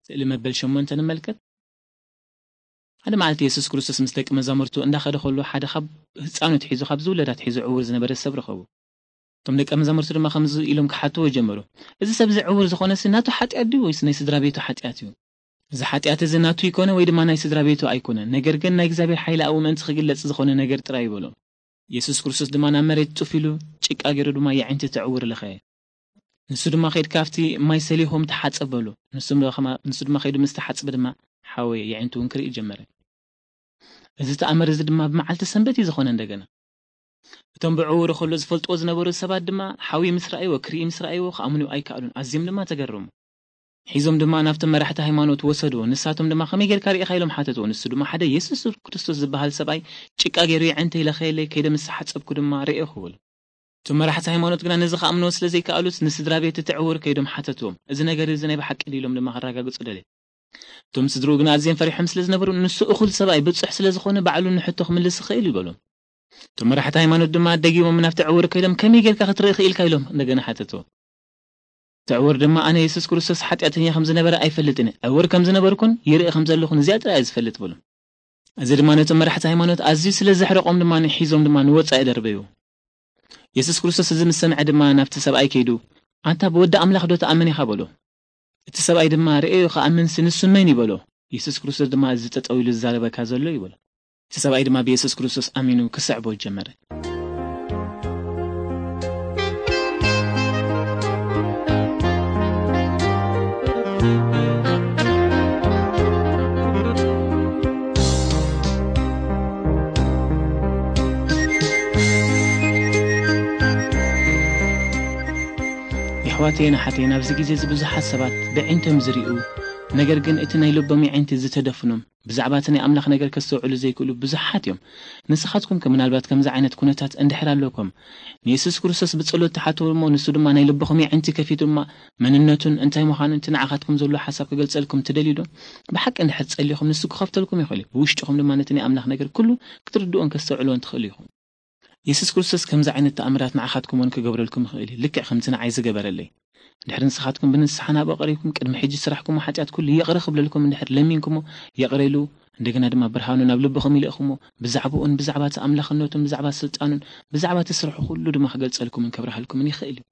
ስእሊ መበል ሸሞንተ ንመልከት። ሓደ መዓልቲ የሱስ ክርስቶስ ምስ ደቂ መዛሙርቱ እንዳኸደ ከሎ፣ ሓደ ካብ ህፃኑ ትሒዙ፣ ካብ ዝውለድ ኣትሒዙ ዕውር ዝነበረ ሰብ ረኸቡ። እቶም ደቀ መዛሙርቱ ድማ ከምዚ ኢሎም ክሓትዎ ጀመሩ፣ "እዚ ሰብ እዚ ዕውር ዝኾነሲ ናቱ ሓጢኣት ድዩ ወይስ ናይ ስድራ ቤቱ ሓጢኣት እዩ? እዚ ሓጢኣት እዚ ናቱ ይኮነ ወይ ድማ ናይ ስድራ ቤቱ ኣይኮነን፣ ነገር ግን ናይ እግዚኣብሔር ሓይሊ ኣብኡ ምእንቲ ክግለጽ ዝኾነ ነገር ጥራይ" ይበሎም። የሱስ ክርስቶስ ድማ ናብ መሬት ጡፍ ኢሉ፣ ጭቃ ገይሩ ድማ የዒንቲ እቲ ዕውር ለኸየ። ንሱ ድማ፣ "ከይድካ ኣብቲ ማይ ሰሊሆም ተሓጸብ" በሎ። ንሱ ድማ፣ ንሱ ድማ ከይዱ ምስ ተሓጽበ ድማ ሓወየ፣ የዒንቱ እውን ክርኢ ጀመረ። እዚ ተኣምር እዚ ድማ ብመዓልቲ ሰንበት እዩ ዝኾነ። እንደገና እቶም ብዕውሩ ከሎ ዝፈልጥዎ ዝነበሩ ሰባት ድማ ሓዊ ምስ ረኣይዎ፣ ክርኢ ምስ ረኣይዎ ክኣምኑ ኣይከኣሉን። ኣዝዮም ድማ ተገረሙ። ሒዞም ድማ ናብቶም መራሕቲ ሃይማኖት ወሰድዎ። ንሳቶም ድማ፣ "ከመይ ጌርካ ርኢኻ?" ኢሎም ሓተትዎ። ንሱ ድማ፣ "ሓደ የሱስ ክርስቶስ ዝበሃል ሰብኣይ ጭቃ ገይሩ የዒንተይ ለኸየለይ፣ ከይደ ምስ ሓጸብኩ ድማ ርኤኹ" በሉ። እቶም መራሕቲ ሃይማኖት ግና ነዚ ክኣምንዎ ስለ ዘይከኣሉስ፣ ንስድራ ቤት እቲ ዕውር ከይዶም ሓተትዎም፣ "እዚ ነገር እዚ ናይ ብሓቂ ድዩ?" ኢሎም ድማ ከረጋግጹ ደለዩ። እቶም ስድርኡ ግና ኣዝዮም ፈሪሖም ስለ ዝነበሩ፣ "ንሱ እኹል ሰብኣይ ብጹሕ ስለ ዝኾነ፣ ባዕሉ ንሕቶ ክምልስ ይኽእል" ይበሎም። እቶም መራሕቲ ሃይማኖት ድማ ደጊሞም ናብቲ ዕውር ከይዶም፣ "ከመይ ጌርካ ክትርኢ ክኢልካ?" ኢሎም እንደገና ሓተትዎ። እቲ ዕውር ድማ፣ "ኣነ የሱስ ክርስቶስ ሓጢኣተኛ ከም ዝነበረ ኣይፈልጥን እየ። ዕውር ከም ዝነበርኩን ይርኢ ከም ዘለኹን እዚኣ ጥራይ እየ ዝፈልጥ" በሎም። እዚ ድማ ነቶም መራሕቲ ሃይማኖት ኣዝዩ ስለ ዘሕረቖም ድማ ሒዞም ድማ ንወጻኢ ደርበይዎ። የሱስ ክርስቶስ እዚ ምስ ሰምዐ ድማ ናብቲ ሰብኣይ ከይዱ፣ "ኣንታ ብወዲ ኣምላኽ ዶ ትኣምን ኢኻ?" በሎ። እቲ ሰብኣይ ድማ፣ "ርእዮ ክኣምንሲ ንሱ መን እዩ?" በሎ። የሱስ ክርስቶስ ድማ፣ "እዚ ጠጠው ኢሉ ዝዛረበካ ዘሎ እዩ" በሎ። እቲ ሰብኣይ ድማ ብየሱስ ክርስቶስ ኣሚኑ ክስዕቦ ጀመረ። የሕዋተይን ኣሓተይን፣ ኣብዚ ግዜ እዚ ብዙሓት ሰባት ብዒንቶም ዝርእዩ፣ ነገር ግን እቲ ናይ ልቦም የዒንቲ ዝተደፍኖም፣ ብዛዕባ እቲ ናይ ኣምላኽ ነገር ከስተውዕሉ ዘይክእሉ ብዙሓት እዮም። ንስኻትኩም ከ ምናልባት ከምዚ ዓይነት ኩነታት እንድሕር ኣለኩም፣ ንየሱስ ክርስቶስ ብጸሎት ትሓትዎ እሞ፣ ንሱ ድማ ናይ ልብኹም የዒንቲ ከፊቱ ድማ መንነቱን እንታይ ምዃኑን እቲ ንዓኻትኩም ዘሎ ሓሳብ ክገልጸልኩም ትደልዩ ዶ? ብሓቂ እንድሕር ጸሊኹም፣ ንሱ ክኸፍተልኩም ይኽእል እዩ። ብውሽጥኹም ድማ ነቲ ናይ ኣምላኽ ነገር ኩሉ ክትርድኡን ከስተውዕልዎን ትኽእሉ ኢኹም። የሱስ ክርስቶስ ከምዚ ዓይነት ተኣምራት ንዓኻትኩም እውን ክገብረልኩም ይኽእል እዩ፣ ልክዕ ከምቲ ንዓይ ዝገበረለይ። እንድሕር ንስኻትኩም ብንስሓ ናብኡ ቀሪብኩም፣ ቅድሚ ሕጂ ዝሰራሕኩሞ ሓጢኣት ኩሉ ይቕረ ክብለልኩም እንድሕር ለሚንኩሞ፣ ይቕረ ኢሉ፣ እንደገና ድማ ብርሃኑ ናብ ልብኹም ይልእኹሞ፣ ብዛዕባኡን ብዛዕባ እቲ ኣምላኽነቱን ብዛዕባ ስልጣኑን ብዛዕባ እቲ ስርሑ ኩሉ ድማ ክገልጸልኩምን ከብርሃልኩምን ይኽእል እዩ።